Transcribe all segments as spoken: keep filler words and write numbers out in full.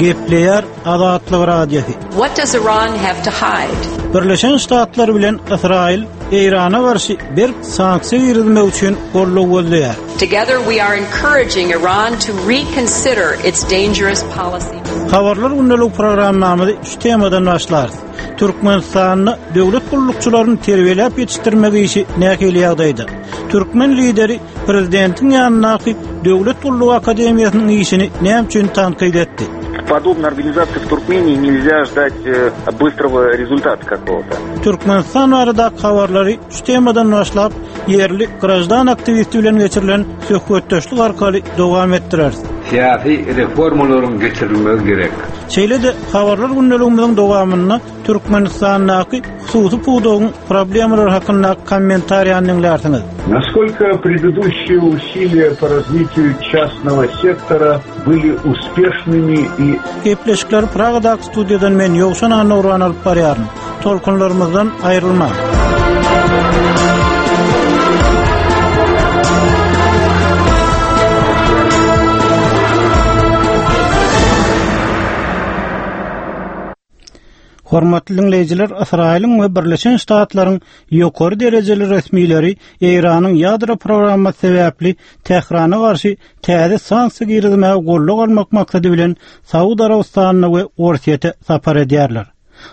Gepleýär Azatlyk Radiosy. What does Iran have to hide? Birleşen Ştatlar bilen Ysraýyl Eýrana garşy berk sanksiýa girizmek üçin goldaw gözleýär. Together we are encouraging Iran to reconsider its dangerous policy. Habarlar gündelik programmamyzy şu temadan başlarys. Türkmenistanda döwlet gullukçylaryny terbiýeläp ýetişdirmek işi nähili ýagdaýda? Türkmen lideri prezidentiň ýanyndaky Döwlet gullugy akademiýasynyň işini näme üçin tankyt etdi? Подобной организации в Туркмении нельзя ждать э, быстрого результата какого-то. Türkmenistan baradaky habarlary şu temadan başlap, ýerli graždan aktiwisti bilen geçirilen söhbetdeşlik arkaly dowam etdireris. Syýasy reformalaryň geçirilmegi gerek. Şeýle-de habarlar gündeligimiziň dowamynda Türkmenistandaky hususy pudagyň problemalary hakynda kommentariýany diňlärsiňiz. Насколько предыдущие усилия по развитию частного сектора были успешными и Gepleşikleri Pragadaky studiýadan men Ýowşan Annagurban alyp barýaryn. Tolkunlarymyzdan aýrylmaň. Hormatly dinleýjiler, Ysraýylyň we Birleşen Ştatlaryň ýokary derejeli resmileri Eýranyň ýadro programmasy sebäpli Tährana garşy täze sanksiýa girizmäge goldaw almak maksady bilen Saud Arabystanyna we Orsýete sapar edýärler.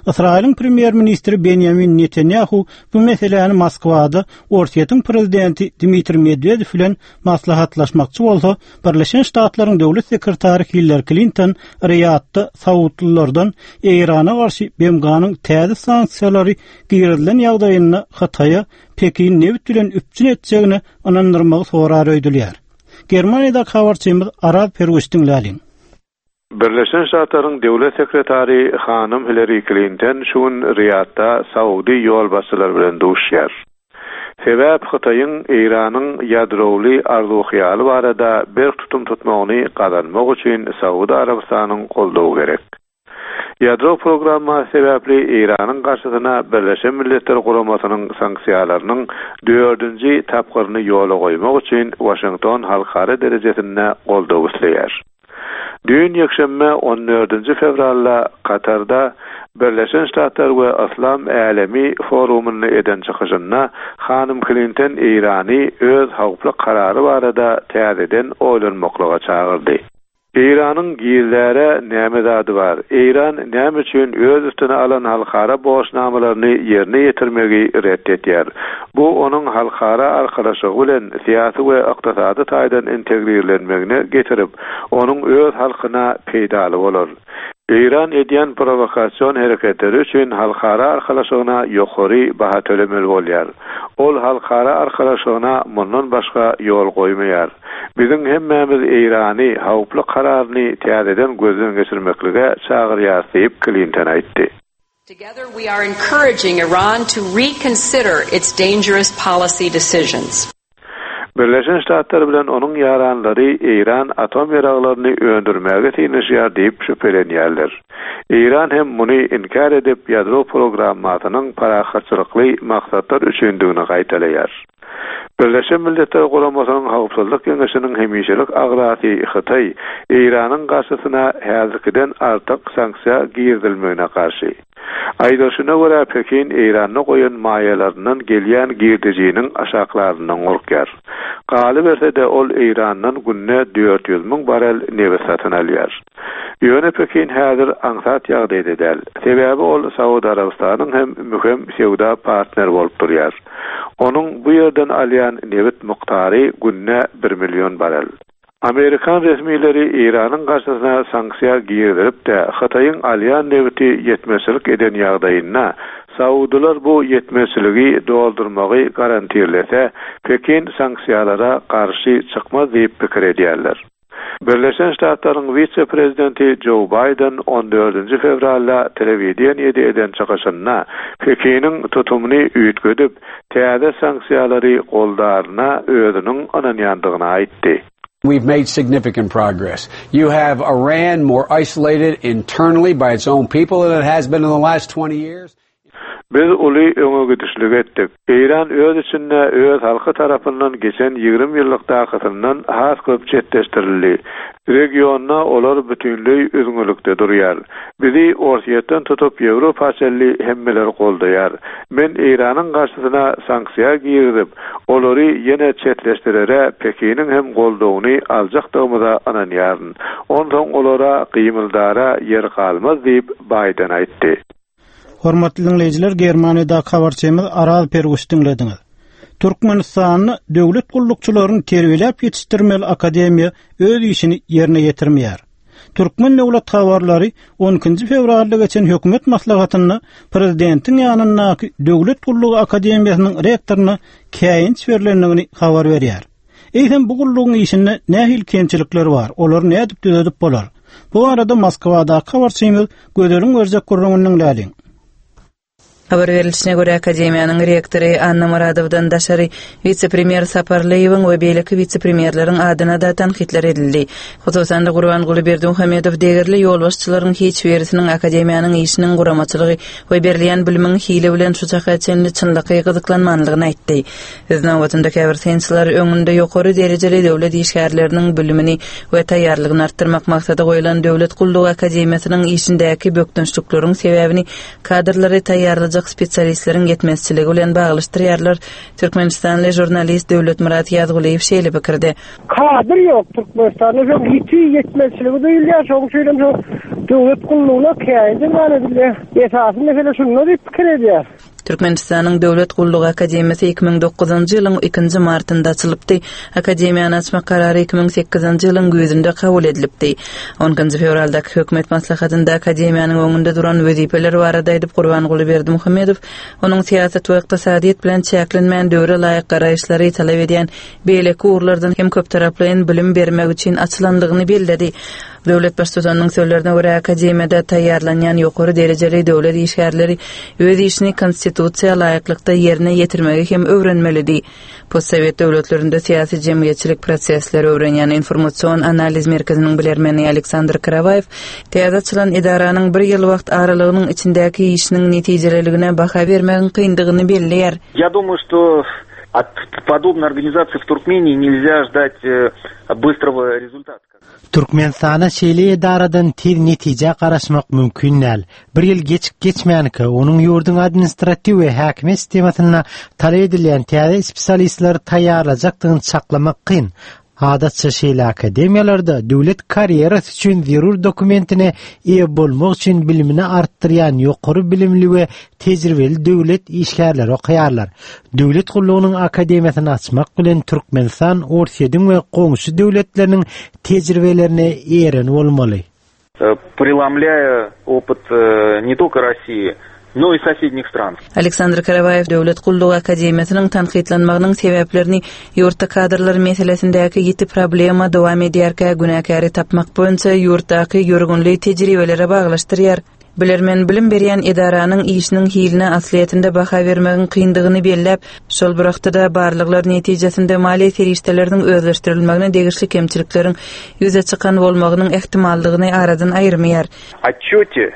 Ysraýylyň premýer-ministri Benjamin Netanyahu bu meseläni Moskwada Orsýetiň prezidenti Dmitriý Medwedew bilen maslahatlaşmakçy bolsa, Birleşen Ştatlaryň döwlet sekretary Hillary Clinton Riýadda Saudlylardan Eýrana garşy B M G-nyň täze sanksiýalary girizilen ýagdaýynda Hytaýa Pekin nebit bilen üpjün etjegini ynandyrmagy sorar öýdülýär. Germaniýada habarçymyz Araz Perwiş diňläliň. Birleşen Ştatlaryň döwlet sekretary hanym Hillary Clinton şu gün Riýadda Saudi ýolbaşçylary bilen duşýar. Sebäp Hytaýyň Eýranyň ýadrowly arzuw-hyýaly barada berk tutum tutmagyny gazanmak üçin Saudi Arabystanyň goldawy gerek. Ýadro programmasy sebäpli Eýranyň garşysyna Birleşen Milletler Guramasynyň sanksiýalarynyň dördünji tapgyryny ýola goýmak üçin Washington halkara derejesinde goldaw isleýär. Düýn ýekşenbe on dördünji fewralda Katarda Birleşen Ştatlar we Yslam Älemi forumyny eden çykyşynda hanym Clinton Eýrany öz howply karary barada täzeden oýlanmaklyga çagyrdy. Eýranyň gizläre näme zady bar? Eýran näme üçin öz üstüne alan halkara borçnamalaryny ýerine ýetirmegi ret etýär? Bu onuň halkara arkalaşygy bilen syýasy we ykdysady taýdan integrirlenmegine getirip, onuň öz halkyna peýdaly bolar. Eýran edýän prowokasion hereketleri üçin halkara arkalaşygyna ýokary baha tölemeli bolýar. Ol halkara arkalaşygyna mundan başga ýol goýmaýar. Biziň hemmämiz Eýrany howply kararyny täzeden gözden geçirmeklige çagyrýar diýip Clinton aýtdy. Together we are encouraging Iran to reconsider its dangerous policy decisions. Birleşen Ştatlar bilen onuň ýaranlary Eýran atom ýaraglaryny öndürmäge synanyşýar diýip şübhelenýärler. Eýran hem muny inkär edip ýadro programmasynyň parahatçylykly maksatlar üçindigini gaýtalaýar. Birleşen Milletler Guramasynyň Howpsuzlyk Geňeşiniň hemişelik agzasy Hytaý Eýranyň garşysyna häzirkiden artyk sanksiýa girizilmegine garşy. Aýdylyşyna görä Pekin Eýranda goýan maýalaryndan gelýän girdejiniň aşaklaryndan gorkýar. Galyberse-de ol Eýrandan günde dört ýüz müň barel nebit satyn alýar. Ýöne Pekin häzir aňsat ýagdaýda däl. Sebäbi ol Saud Arabystanyň hem möhüm söwda partneri bolup durýar. Onuň bu ýerden alýan nebit mukdary günde bir million barel. Amerikan resmileri Eýranyň garşysyna sanksiýa girizilip-de Hytaýyň alýan nebiti ýetmezçilik eden ýagdaýynda Saudylar bu ýetmezçiligi doldurmagy garantirlese, Pekin sanksiýalara garşy çykmaz diýip pikir edýärler. Birleşen Ştatlaryň wise-prezidenti Joe Biden on dördünji fewralda telewideniýede eden çykyşynda Pekiniň tutumyny üýtgedip, täze sanksiýalary goldaryna özüniň ynanýandygyny aýtdy. We've made significant progress. You have Iran more isolated internally by its own people than it has been in the last twenty years. Biz uly öňe gidişlik etdik. Eýran öz içinde öz halky tarapyndan geçen ýigrimi ýyllykdakysyndan has köp çetleşdirildi. Regionda olar bütünleý üzňelikde durýar. Bizi Orsýetden tutup Ýewropa çenli hemmeler goldaýar. Men Eýranyň garşysyna sanksiýa girizip, olary ýene çetleşdirere Pekiniň hem goldawyny aljakdygymyza ynanýaryn. Onsoň olara gymyldara ýer galmaz diýip Biden aýtdy. Hormatly dinleýjiler, Germaniýada habarçymyz Araz Perguş diňlediňiz. Türkmenistanda döwlet gullukçylaryny terbiýeläp ýetişdirmeli akademiýa öz işini ýerine ýetirmeýär. Türkmen döwlet habarlary on ikinji fewralda geçen hökümet maslahatynda prezidentiň ýanyndaky Döwlet gullugy akademiýasynyň rektoryna käýinç berlendigini habar berýär. Eýsem bu gullugyň işinde nähili kemçilikler bar, olary nädip düzedip bolar? Bu arada Moskwadaky habarçymyz Gözeliň berjek gürrüňini diňläliň. Habar berilişine görä Akademiýanyň rektory Anna Muradowdan daşary wise-premýer Saparlyýewiň we beýleki wise-premýerleriň adyna da tankytlar edildi. Hususan-da Gurbanguly Berdimuhamedow degerli ýolbaşçylaryň hiç birisiniň Akademiýanyň işiniň guramaçylygy we berilýän bilimiň hili bilen şu çaka çenli çynlakaý gyzyklanmanlygyny aýtdy. Öz nobatynda käbir synçylar öňünde ýokary derejeli döwlet işgärleriniň bilimini we taýýarlygyny artdyrmak maksady goýlan Döwlet gullugy akademiýasynyň işindäki bökdençlikleriň sebäbini kadrlary taýýarlajak spesialistleriň ýetmezçiligi bilen baglaşdyrýarlar. Türkmenistanly žurnalist Döwletmyrat Ýazgulyýew şeýle pikirde. Kadr ýok Türkmenistanda, şo ýiti ýetmezçiligi duýulýar, şoň üçin hem şo döwlet gullugyna käýinç edilýär. Esasy mesele şunda diýip pikir edýär. Türkmenistanyň Döwlet gullugy akademiýasy iki müň dokuzynjy ýylyň ikinji martynda açylypdy. Akademiýany açmak karary iki müň sekizinji ýylyň güýzünde kabul edilipdi. on ikinji fewraldaky hökümet maslahatynda akademiýanyň öňünde duran wezipeler barada aýdyp Gurbanguly Berdimuhamedow onuň syýasat we ykdysadyýet bilen çäklenmän döwre laýyk garaýyşlary talap edýän beýleki ugurlardan hem köptaraplaýyn bilim bermek üçin açylandygyny belledi. Döwlet baştutanynyň sözlerine görä akademiýada taýýarlanýan ýokary derejeli döwlet işgärleri öz işini konstitusiýa laýyklykda ýerine ýetirmegi hem öwrenmelidi. Postsowet döwletlerinde syýasy jemgyýetçilik prosesleri öwrenýän informasion analiz merkeziniň bilermeni Aleksandr Karawaýew täze açylan edaranyň bir ýyl wagt aralygynyň içindäki işiniň netijeliligine baha bermegiň kyndygyny belleýär. Я думаю, что от подобной организации в Туркмении нельзя ждать, э, быстрого результата. Türkmenistana şeýle edaradan tez netije garaşmak mümkin däl. Bir ýyl geçip geçmänkä onuň ýurduň administratiw we häkimiýet sistemasynda talap edilýän täze spesialistleri taýýarlajakdygyny çaklamak kyn. Adatça şeýle akademiýalarda döwlet karýerasy üçin zerur dokumentine eýe bolmak üçin bilimini artdyrýan ýokary bilimli we tejribeli döwlet işgärleri okaýarlar. Döwlet gullugynyň akademiýasyny açmak bilen Türkmenistan Orsýetiň we goňşy döwletleriniň tejribelerine eýeren bolmaly. Э, преломляя опыт, э, не только России, но и соседних стран. Aleksandr Karawaýew Döwlet gullugy akademiýasynyň tankytlanmagynyň sebäplerini ýurtda kadrlar meselesindäki ýiti problema dowam edýärkä günäkäri tapmak boýunça ýurtdaky ýörgünli tejribelere baglaşdyrýar. Bilermen bilim berýän edaranyň işiniň hiline aslyýetinde baha bermegiň kyndygyny belläp, şol bir wagtda barlyklar netijesinde maliýe serişdeleriniň özleşdirilmegine degişli kemçilikleriň ýüze çykan bolmagynyň ähtimallygyny aradan aýyrmaýar. Отчете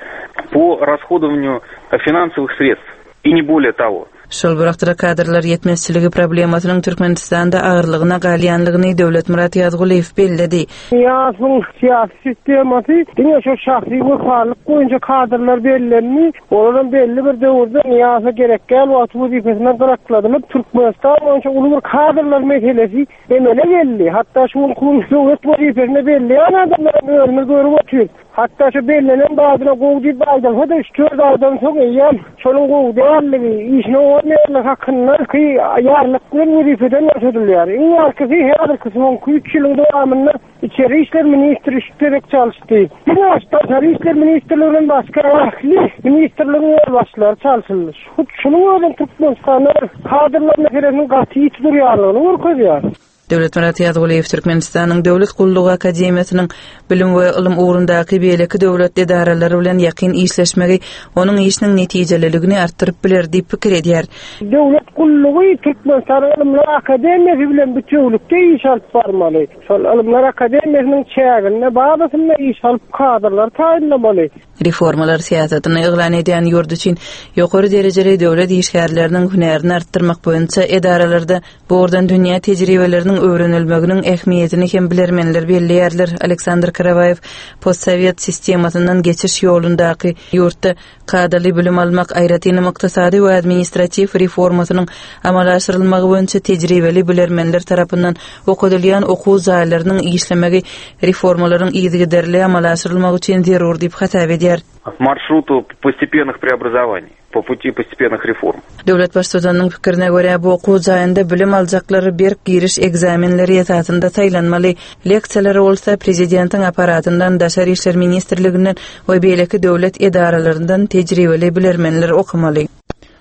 по расходованию финансовых средств и не более того. Şol bir wagtda kadrlar ýetmezçiligi problemasynyň Türkmenistanda agyrlygyna galýanlygyny Döwletmyrat Ýazgulyýew belledi. Nyýazowyň syýasy sistemasy diňe şu şahsy wepalyk boýunça kadrlar bellendi. Olaryň belli bir döwürde Nyýazowa gerek gel wagty wezipesinden gyrakladylyp, Türkmenistan boýunça uly bir kadrlar meselesi emele geldi. Hatda şu gün döwlet wezipesine belleýän adamlar özüni görüp otyr. Hatda şu bellenen badyna gowy diýip aýdylsa-da üç dört aýdan soň eýýäm şonuň gowy dälligi, işine olmaýanlygy hakynda ki ýarlyk bilen wezipeden boşadylýar. Iň arkasy häzirki soňky üç ýylyň dowamynda İçeri İşler Ministri üç gezek çalyşdy. Diňe Daşary İşler Ministrliginden başga ähli ministrligiň ýolbaşçylary çalşyldy. Hut şunuň özem Türkmenistanda kadrlar meselesiniň gaty ýiti durýanlygyny görkezýär. Döwletmyrat Ýazgulyýew Türkmenistanyň Döwlet gullugy akademiýasynyň bilim we ylym ugrundaky beýleki döwlet edaralary bilen ýakyn işleşmegi onuň işiniň netijeliligini artdyryp biler diýip pikir edýär. Döwlet gullugy Türkmenistan Ylymlar Akademiýasy bilen bütewlikde iş alyp barmaly. Şol Ylymlar Akademiýasynyň çäginde bazasynda iş alyp kadrlar taýynlamaly. Reformalar syýasatyny yglan edýän ýurt üçin ýokary derejeli döwlet işgärleriniň hünärini artdyrmak boýunça edaralarda bu ugurdan dünýä tejribeleriniň öwrenilmeginiň ähmiýetini hem bilermenler belleýärler. Aleksandr Karawaýew postsowet sistemasyndan geçiş ýolundaky ýurtda kadaly bilim almak, aýratynam ykdysady we administratiw reformasynyň amala aşyrylmagy boýunça tejribeli bilermenler tarapyndan okadylýan okuw jaýlarynyň işlemegi reformalaryň yzygiderli amala aşyrylmagy üçin zerur diýip hasap edýär. Маршруту постепенных преобразований, по пути постепенных реформ. Döwlet baştutanynyň pikirine görä, bu okuw jaýynda bilim aljaklar berk giriş ekzamenleri esasynda saýlanmaly. Leksiýalary bolsa prezidentiň aparatyndan, Daşary işler ministrliginden we beýleki döwlet edaralaryndan tejribeli bilermenler okamaly.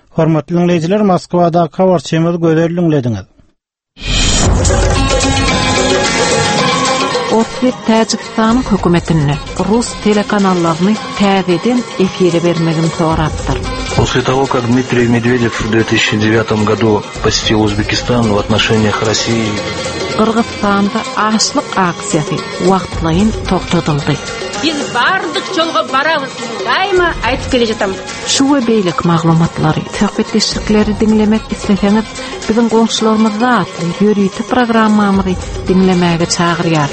Hormatly dinleýjiler, Moskwadaky habarçymyz Gözel diňlediňiz. Orsýet Täjikistanyň hökümetine rus telekanallaryny täzeden efire bermegini sorapdyr. После того, как Дмитрий Медведев в две тысячи девятом году посетил Узбекистан, в отношениях России Gyrgyzystanda açlyk aksiýasy wagtlaýyn togtadyldy. Biz bardyk çolga barabыз, daima aýtyp kele jatam. Şu we beýleki maglumatlary, söhbetdeşlikleri diňlemek isleseňiz, biziň goňşularymyzda atly ýörite programmamyzy diňlemäge çagyrýar.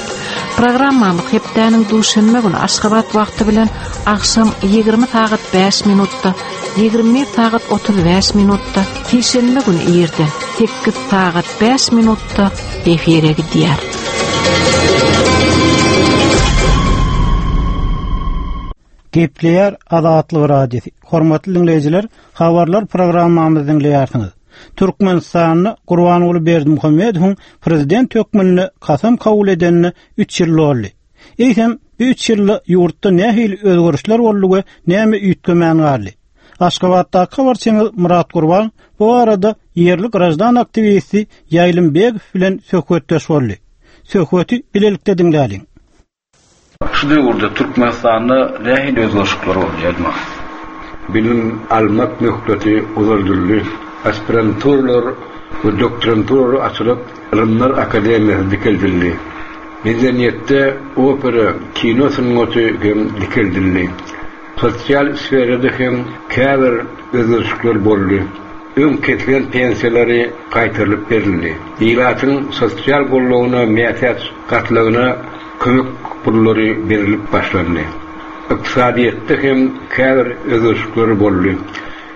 Programmamyz hepdäniň duşenbe güni Aşgabat wagty bilen agşam ýigrimi sagat bäş minutda, ýigrimi bir sagat otuz bäş minutda, sişenbe güni irden sekiz sagat bäş minutda efire gidýär. Gepleýär Azatlyk Radiosy. Hormatly dinleýjiler, habarlar programmamyzy diňleýärsiňiz. Türkmenistanda Gurbanguly Berdimuhamedowyň prezident hökmünde kasam kabul edenine üç ýyl boldy. Eýsem, bu üç ýylda ýurtda nähili özgerişler boldy we näme üýtgemän galdy? Aşgabatdaky habarçymyz Murat Gurban bu arada ýerli grajdan aktiwisti Ýaýlym Begow bilen söhbetdeş boldy. Söhbeti bilelikde diňläliň. Şu döwürde Türkmenistanda nähili özgerişler boldy, Ýaýlym? Bilim almak möhleti uzaldyldy. Aspiranturalar we doktoranturalar açylyp, Ylymlar Akademiýasy dikeldildi. Medeniýetde opera, kino sungaty hem dikeldildi. Sosial sferada hem käbir özgerişler boldy. Öň kesilen pensiýalary gaýtarylyp berildi. Ilatyň sosial goldawyna mätäç gatlagyna kömek pullary berilip başlandy. Ykdysadyýetde hem käbir özgerişler boldy.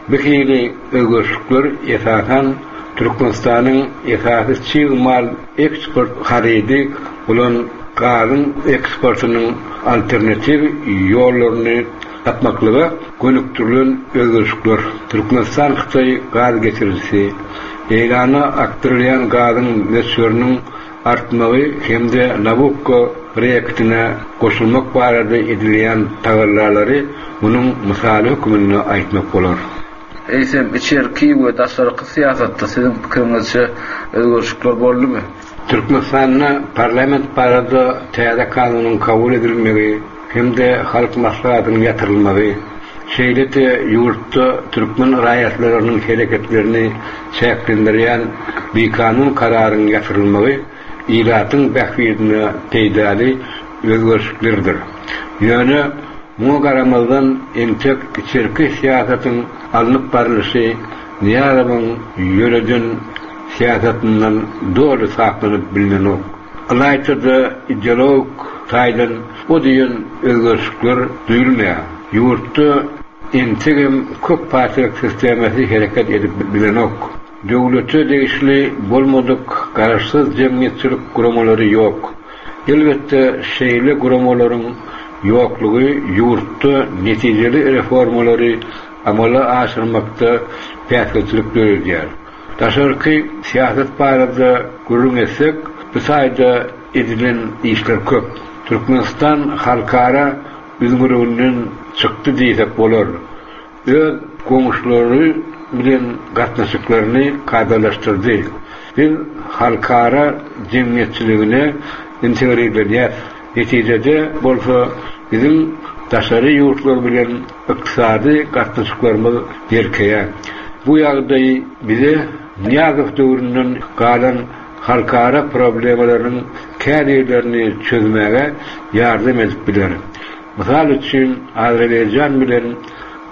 Bu hili özgerişler esasan Türkmenistanyň esasy çig mal eksport harydy bolan gazyň eksportynyň alternatiw ýollaryny tapmaklyga gönükdirilen özgerişler. Türkmenistan Hytaý gaz geçirijisi, Eýrana akdyrylýan gazyň möçberiniň artmagy hem-de Nabucco proýektine goşulmak barada edilýän tagallalary munuň mysaly hökmünde aýtmak bolar. Eýsem, içerki we daşarky syýasatda siziň pikiriňizçe özgerişler boldumy? Türkmenistanda parlament barada täze kanunyň kabul edilmegi hem-de halk maslahatynyň ýatyrylmagy, şeýle-de ýurtda türkmen raýatlarynyň hereketlerini çäklendirýän bikanun kararyň ýatyrylmagy ilatyň bähbidine peýdaly özgerişlerdir. Ýöne muňa garamazdan entek içerki syýasatyň alnyp barlyşy Nyýazowyň ýöreden syýasatyndan doly saklanyp bilinenok. Ylaýta-da ideologik taýdan o diýen özgerişler duýulmaýar. Ýurtda entegem köp partiýalyk sistemasy hereket edip bilenok. Döwlete degişli bolmadyk garaşsyz jemgyýetçilik guramalary ýok. Elbetde şeýle guramalaryň ýoklugy ýurtda netijeli reformalary amala aşyrmakda päsgelçilik döredýär. Daşarky syýasat barada gürrüň etsek, bu taýda edilen işler köp. Türkmenistan halkara üzňürüginden çykdy diýsek bolar. Öz goňşulary bilen gatnaşyklaryny kadalaşdyrdy. Biz halkara jemgyýetçiligine integrirlenýäris. Netijede bolsa biziň daşary ýurtlar bilen ykdysady gatnaşyklarymyz berkeýär. Bu ýagdaý bize Nyýazow döwründen galan halkara problemalarynyň käbirlerini çözmäge ýardam edip biler. Mysal üçin, Azerbaýjan bilen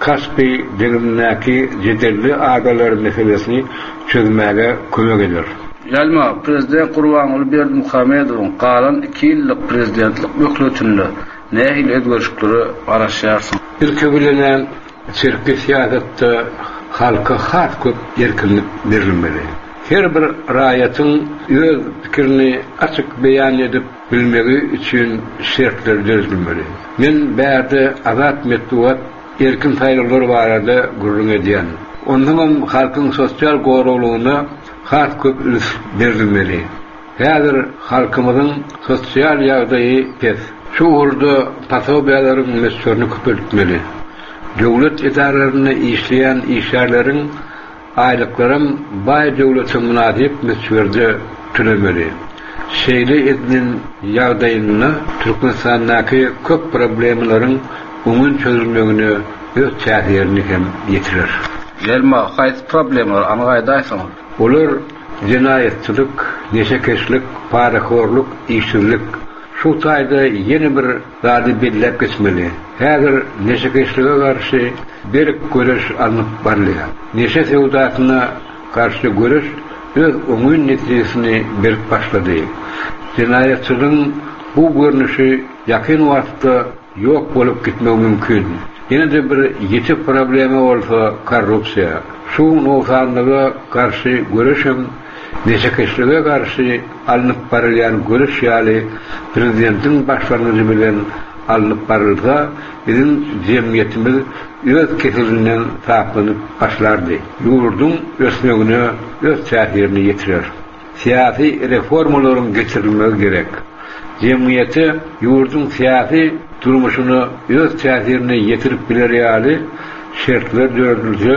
Kaspi deňzindäki jedelli adalar meselesini çözmäge kömek eder. Ýalma, Prezident Gurbanguly Berdimuhamedowyň galan iki ýyllyk prezidentlik möhletinde nähili özgerişliklere garaşýarsyň? Ilki bilen-ä içerki syýasatda halka has köp erkinlik berilmeli. Her bir raýatyň öz pikirini açyk beýan edip bilmegi üçin şertler döredilmeli. Men bärde azat metbugat, erkin saýlawlar barada gürrüň edýän. Onsoňam halkyň sosial goraglygyna has köp üns berilmeli. Häzir halkymyzyň sosial ýagdaýy pes. Şu ugurda posobiýalaryň möçberini köpeltmeli. Döwlet edaralarynda işleýän işgärleriň aýlyklaram baý döwlete mynasyp möçberde tölemeli. Şeýle edilen ýagdaýynda Türkmenistandaky köp problemalaryň oňyn çözülmegine öz täsirini hem ýetirer. Ýelma, haýsy problemalar, anyk aýdaýsaňyz? Olar jenaýatçylyk, neşekeşlik, parahorluk, işsizlik. Şu taýda ýene bir zady belläp geçmeli. Häzir neşekeşlige garşy berk göreş alnyp barylýar. Neşe söwdasyna garşy göreş öz oňyn netijesini berip başlady. Jenaýatçylygyň bu görnüşi ýakyn wagtda ýok bolup gitmegi mümkin. Ýene-de bir ýiti problema bolsa korrupsiýa. Şu nogsanlyga garşy göreşem neşekeşlige garşy alnyp barylýan göreş ýaly prezidentiň başlangyjy bilen alnyp barylsa, biziň jemgyýetimiz öz keselinden saplanyp başlardy. Ýurduň ösmegine öz täsirini ýetirer. Syýasy reformalaryň geçirilmegi gerek. Jemgyýete ýurduň syýasy durmuşyna öz täsirini ýetirip biler ýaly şertler döredilse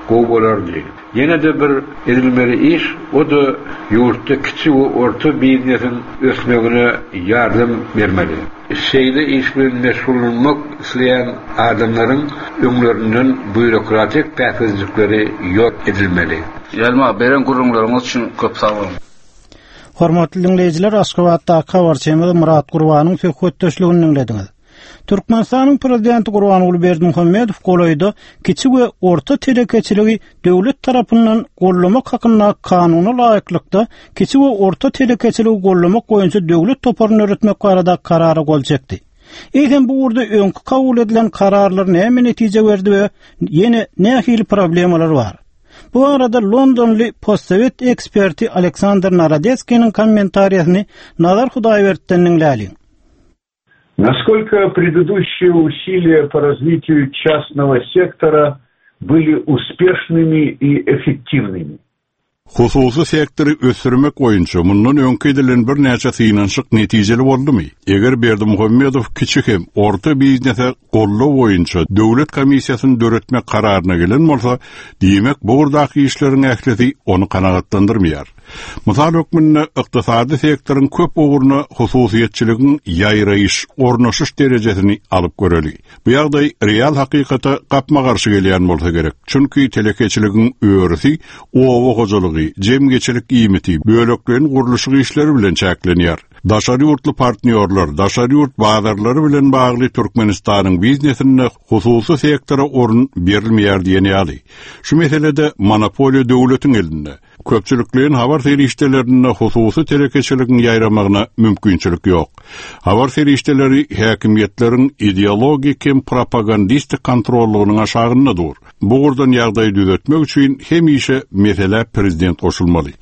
gowy bolardy. Ýene-de bir edilmeli iş, o-da ýurtda kiçi we orta biznesiň ösmegine ýardam bermeli. Şeýle iş bilen meşgullanmak isleýän adamlaryň öňlerinden býurokratik päsgelçilikleri ýok edilmeli. Ýelma, beren gürrüňleriňiz üçin köp sag boluň. Hormatly diňleýjiler, Aşgabatdaky habarçymyz Murat Gurbanyň söhbetdeşligini diňlediňiz. Türkmenistanyň prezidenti Gurbanguly Berdimuhamedow golaýda kiçi we orta telekeçiligi döwlet tarapyndan gollamak hakynda kanuna laýyklykda kiçi we orta telekeçiligi gollamak boýunça döwlet toparyny döretmek barada karara gol çekdi. Eýsem bu ugurda öňki kabul edilen kararlar näme netije berdi we ýene nähili problemalar bar? Bu arada Londonly postsowet eksperti Aleksandr Narodetskiniň kommentariýasyny Nazar Hudaýberdi'den diňläliň. Насколько предыдущие усилия по развитию частного сектора были успешными и эффективными? Hususy sektory ösdürmek boýunça mundan öňki edilen birnäçe synanyşyk netijeli boldumy? Eger Berdimuhamedow kiçi hem orta biznese goldaw boýunça döwlet komissiýasyny döretmek kararyna gelen bolsa, diýmek bu ugurdaky işleriň ählisi ony kanagatlandyrmaýar. Mysal hökmünde ykdysady sektoryň köp ugruna hususyýetçiligiň ýaýraýyş, ornaşyş derejesini alyp göreli. Bu ýagdaý real hakykata gapma-garşy gelýän bolsa gerek. Çünki telekeçiligiň örüsi oba hojalygy, jemgyýetçilik iýmiti, bölekleýin gurluşyk işleri bilen çäklenýär. Daşary ýurtly partnýorlar, daşary ýurt bazarlary bilen bagly Türkmenistanyň biznesinde hususy sektora orun berilmeýär diýen ýaly. Şu meselede monopoliýa döwletiň elinde. Köpçülikleýin habar serişdelerinde hususy telekeçiligiň ýaýramagyna mümkinçilik ýok. Habar serişdeleri häkimiýetleriň ideologik hem propagandistik kontrollygynyň aşagynda dur. Bu ugurdan ýagdaýy düzetmek üçin hemişe mesele prezident goşulmaly.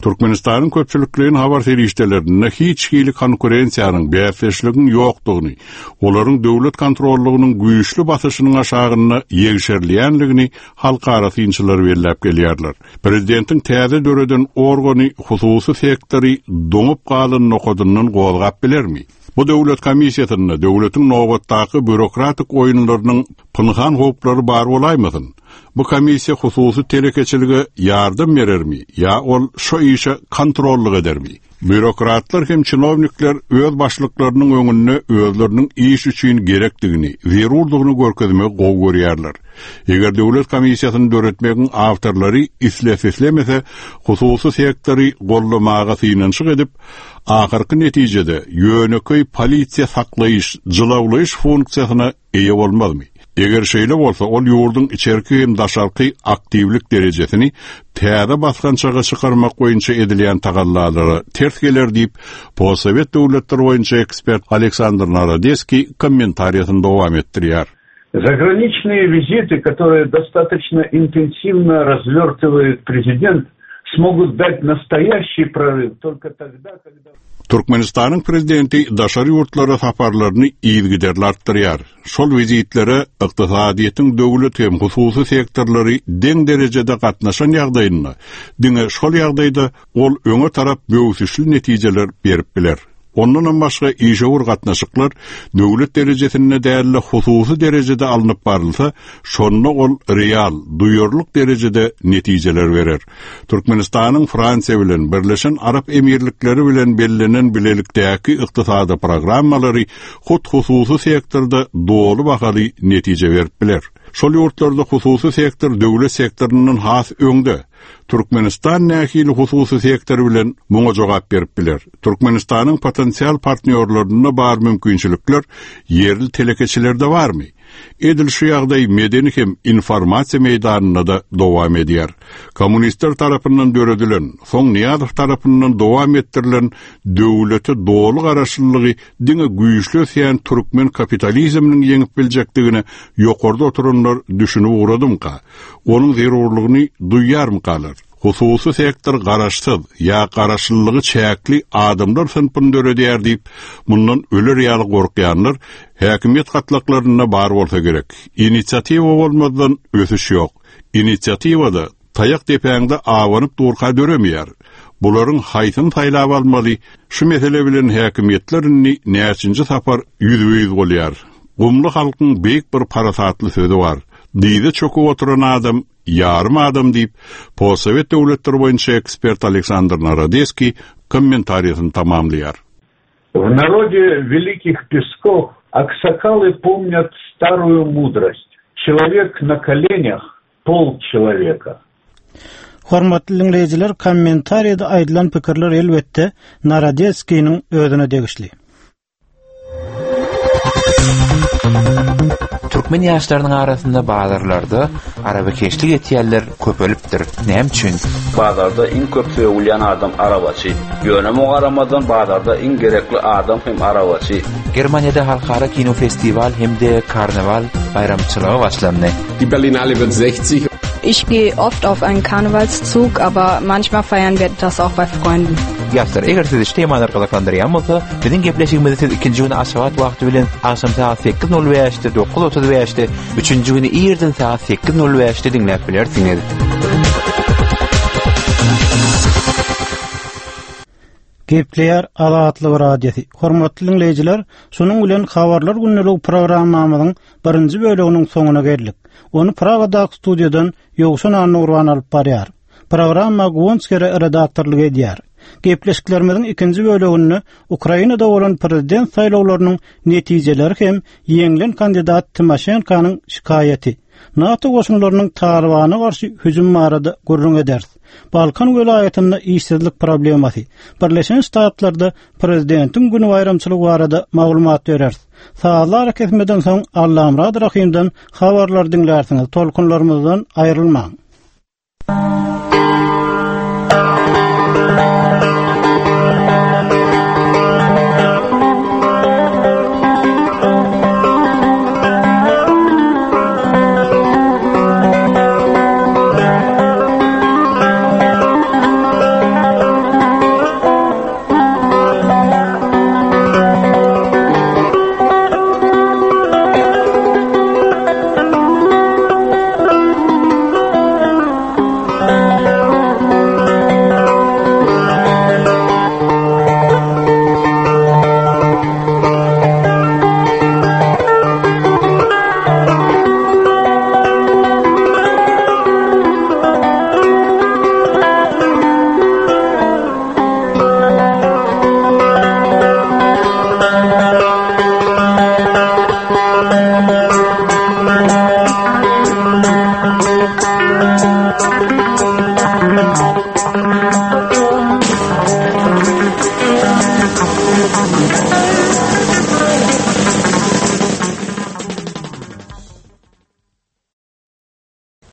Türkmenistanyň köpçülikleýin habar serişdelerinde hiç hili konkurensiýanyň, bäsdeşligiň ýokdugyny, olaryň döwlet kontrollygynyň güýçli basyşynyň aşagynda ýegşerilýänligini halkara synçylary belläp gelýärler. Prezidentiň täze döreden organy hususy sektory doňup galan nokadyndan gozgap bilermi? Bu döwlet komissiýasynda döwletiň nobatdaky býurokratik oýunlarynyň pynhan howplary bar bolaýmasyn? Bu komissiýa hususy telekeçilige ýardam berermi ýa ol şu işe kontrollyk edermi? Býurokratlar hem çinownikler öz başlyklarynyň öňünde özleriniň iş üçin gerekdigini, zerurdygyny görkezmegi gowy görýärler. Eger döwlet komissiýasyny döretmegiň awtorlary islese islemese hususy sektory gollamaga synanyşyk edip, ahyrky netijede ýönekeý polisiýa saklaýyş, jylawlaýyş funksiýasyna eýe bolmazmy? Eger şeýle bolsa, ol ýurduň içerki hem daşarky aktiwlik derejesini täze basgançaga çykarmak boýunça edilýän tagallalara ters geler diýip, postsowet döwletleri boýunça ekspert Aleksandr Narodeskiý kommentariýasyny dowam etdirýär. Заграничные визиты, которые достаточно интенсивно развертывает президент, смогут дать настоящий прорыв только тогда, когда... Türkmenistanyň prezidenti daşary ýurtlara saparlaryny yzygiderli artdyrýar. Şol wizitlere ykdysadyýetiň döwlet hem hususy sektorlary deň derejede gatnaşan ýagdaýynda, diňe şol ýagdaýda ol öňe tarap böwsüşli netijeler berip biler. Ondan başga işewür gatnaşyklar döwlet derejesinde däl-de hususy derejede alnyp barylsa, şonda ol real, duýarlyk derejede netijeler berer. Türkmenistanyň Fransiýa bilen Birleşen Arap Emirlikleri bilen bellenen bilelikdäki ykdysady programmalary hut hususy sektorda doly bahaly netije berip biler. Şol ýurtlarda hususy sektor döwlet sektoryndan has öňde. Türkmenistan nähili hususy sektor bilen muňa jogap berip biler. Türkmenistanyň potensial partnýorlarynda bar mümkinçilikler ýerli telekeçilerde barmy? Edil şu ýagdaý medeni hem informasiýa meýdanynda da dowam edýär. Kommunistler tarapyndan döredilen, soň Niýazow tarapyndan dowam etdirilen döwlete doly garaşlylygy diňe güýçli ösýän türkmen kapitalizminiň ýeňip biljekdigine ýokarda oturanlar düşünip ugradymka, onuň zerurlygyny duýýarmykalar? Hususy sektor garaşsyz ýa garaşlylygy çäkli adamlar synpyny döredýär diýip, mundan öler ýaly gorkýanlar häkimiýet gatlaklarynda bar bolsa gerek. Inisiatiwa bolmazdan ösüş ýok. Inisiatiwada taýak depäňde awanyp durka döremeýär. Bularyň haýsyny saýlap almaly? Şu mesele bilen häkimiýetler indi näçinji sapar ýüzbe-ýüz bolýar. Gumly halkyň beýik bir parasatly sözi bar. Diýde çöküp oturan adam ýarym adam diýip, postsowet döwletleri boýunça ekspert Aleksandr Narodeskiý kommentariýasyny tamamlaýar. В народе Великих Песков аксакалы помнят старую мудрость. Человек на коленях – полчеловека. Hormatly dinleýjiler, kommentariýada aýdylan pikirler elbetde Narodeskiniň özüne degişli. Türkmen ýaşlarynyň arasynda bazarlarda arabakeşlik etýänler köpelipdir. Näme üçin? Bazarda iň köp sögülýän adam arabaçy. Ýöne muňa garamazdan bazarda iň gerekli adam hem arabaçy. Germaniýada halkara kino festiwal hem-de karnaval baýramçylygy başlandy. Die Berlinale wird sechzig. Ich gehe oft auf einen Karnevalszug, aber manchmal feiern wir das auch bei Freunden. Ýaşlar, eger sizi şu temalar gyzyklandyrýan bolsa, biziň gepleşigimizi siz ikinji güni Aşgabat wagty bilen agşam sagat sekiz nol bäşde, dokuz otuz bäşde, üçünji güni irden sagat sekiz nol bäşde diňläp bilersiňiz. Gepleýär Azatlyk Radiosy. Hormatly dinleýjiler, şunuň bilen habarlar gündelik programmamyzyň birinji bölüminiň soňuna geldik. Ony Pragadaky studiýadan Ýowşan Annurban alyp barýar. Programma Guwanç Kere redaktorlyk edýär. Gepleşiklerimiziň ikinji bölüminde Ukrainada bolan prezident saýlawlarynyň netijeleri hem ýeňlen kandidat Timoşenkonyň şikaýaty, NATO goşunlarynyň Talibana garşy hüjüm barada gürrüň ederis. Balkan welaýatynda işsizlik problemasy, Birleşen Ştatlarda prezidentiň güni baýramçylygy barada maglumat bereris. Sazlar kesmeden soň Allamurad Rahimden habarlar diňlärsiňiz. Tolkunlarymyzdan aýrylmaň.